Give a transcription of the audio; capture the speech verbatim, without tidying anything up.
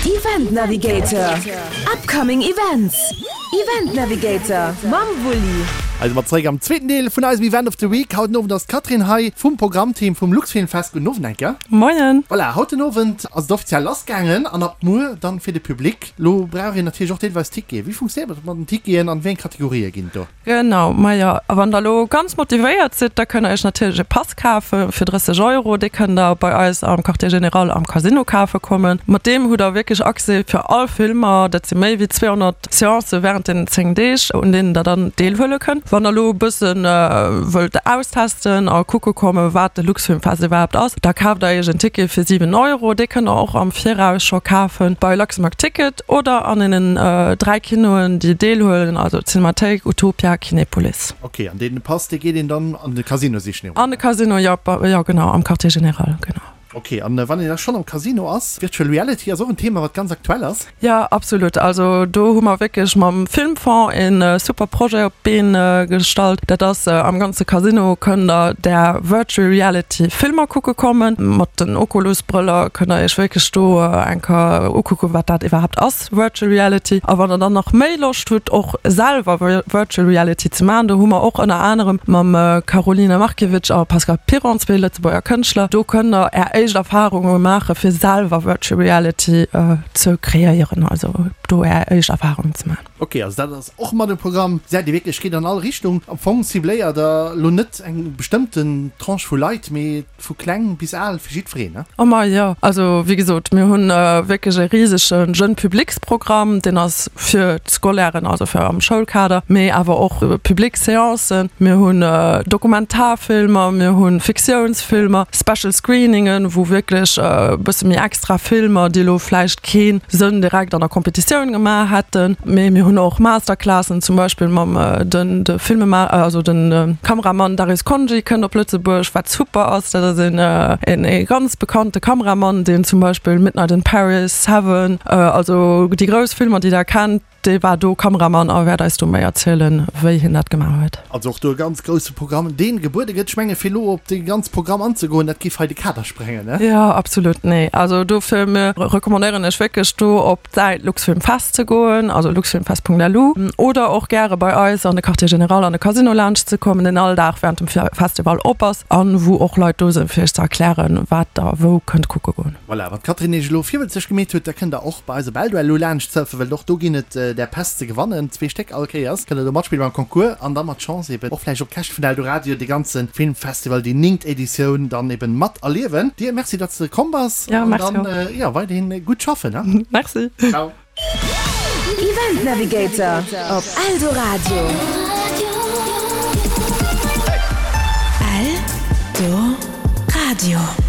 Event Navigator, Upcoming Events, Event Navigator mam Wulli. Also mat zeréck am zweeten Deel vun eisem Event of the Week. Haut den Owend ass d'Catherine hei vum Programmteam vum Luxfilmfest. Gudden Owend eng Kéier. Moien. Voilà, haut den Owend ass et offiziell lassgaangen an ab muer dann fir de Public. Lo brauch een natierlech och deelweis Ticketen. Wéi funktionéiert dat mat den Ticketen an wéi eng Kategorië ginn et do? Genau, majo, a wann der elo ganz motivéiert sidd, da kënnt der iech natierlech e Pass kafe fir drësseg Euro. Dee kënnt der bei eis am Quartier Général am Casino kafe kommen. Mat deem hutt der wierklech Accès fir all Filmer. Dat si méi wéi zweehonnert Seancë wärend deenen zéng Deeg, un deenen der dann deelhuele kënnt. Wann der elo e bësse wëllt austesten a kucke kommen, wat de Luxfilmfest iwwerhaapt ass, da kaaft der iech en Ticket fir siwen Euro. Dee kënnt der och am Viraus scho kafe bei Luxembourg Ticket oder an deenen dräi Kinoen, déi deelhuelen, also d'Cinémathéik, Utopia, Kinepolis. Ok, an deen Pass, dee geet een dann an de Casino sichen? An de Casino, jo, jo genau, am Quartier Général, genau. Ok, an wann een da schonn am Casino ass, Virtual Reality ass och en Thema, wat ganz aktuell ass. Jo, absolut. Also do hu mer wierklech mam Filmfonds e super Projet op d'Been gestallt. Dat ass, am ganze Casino kënnt der där Virtual Reality Filmer kucke kommen. Mat den Oculus Brëller kënnt der iech wierklech do eng Kéier ukucken, wat dat iwwerhaapt ass. Virtual Reality. A wann der dann nach méi Loscht hutt och selwer Virtual Reality ze maachen, do hu mer och ënner anerem mam Karolina Markiewicz a Pascal Piron zwee Lëtzebuerger Kënschtler, do kënnt der är éischt Erfarunge maache fir selwer Virtual Reality ze kreéieren, also do är éischt Erfarungen ze maachen. Ok, also dat ass och mat um Programm. Säit Dir wierklech geet an all Richtung. Am Fong cibléiert der elo net eng bestëmmten Tranche vu Leit, mee vu kleng bis al, fir jiddwereen, ne? Oh ma jo, also wéi gesot, mir hunn wierklech e risege Jeune Publics-Programm, deen ass fir d'Scolairen, also fir am Schoulkader, mee awer och public Seancen. Mir hunn Dokumentarfilmer, mir hu Fiktiounsfilmer, Special Screeningen, wou wierklech e bësse méi extra Filmer, déi elo vläicht kee Sënn direkt an der Competitioun gemaach hätten, mee mir hunn och Masterclassen, zum Beispill mam den de Filmema also den Kameramann Darius Khondji kënnt op Lëtzebuerg, wat super ass. Dat ass een een ee ganz bekannte Kameramann, deen zum Beispill Midnight in Paris, Seven, also déi grouss Filmer, déi der kennt, dee war do Kameramann a wäert eis do méi erzielen, wéi hien dat gemaach huet. Also och do e ganz grousse Programm, dee gebuede gëtt. Ech menge fir elo op dee ganz Programm anzegoen, dat géif hei de Kader sprengen, ne? Jo, absolut, nee. Also dofir mir recommandéieren ech wierklech do op d'Säit Luxfilmfest ze goen, also luxfilmfest Punkt L U, oder och gäre bei eis an de Quartier Général an de Casino laanscht ze kommen, deen all Dag während dem Festival op ass an wou och Leit do sinn, fir iech ze erklären, wat der wou kënnt kucke goen. Voilà, wann d'Catherine iech elo virwëtzeg gemeet huet, da kënnt der och bei eis op Eldoello laanscht surfen, well och do ginn et där Päss ze gewannen, zwee Stéck all Kéiers. Kënnt der do matspille beim Concours an da mat Chance eben och vläicht op Käschte vun Eldoradio dee ganze Filmfestival, déi néngt Editioun dann eben mat erliewen. Dir Merci, datt s de komm bass an dann, jo, weiderhin gutt schaffen, ne? Merci. Ciao. Event Navigator op Eldoradio. Eldoradio.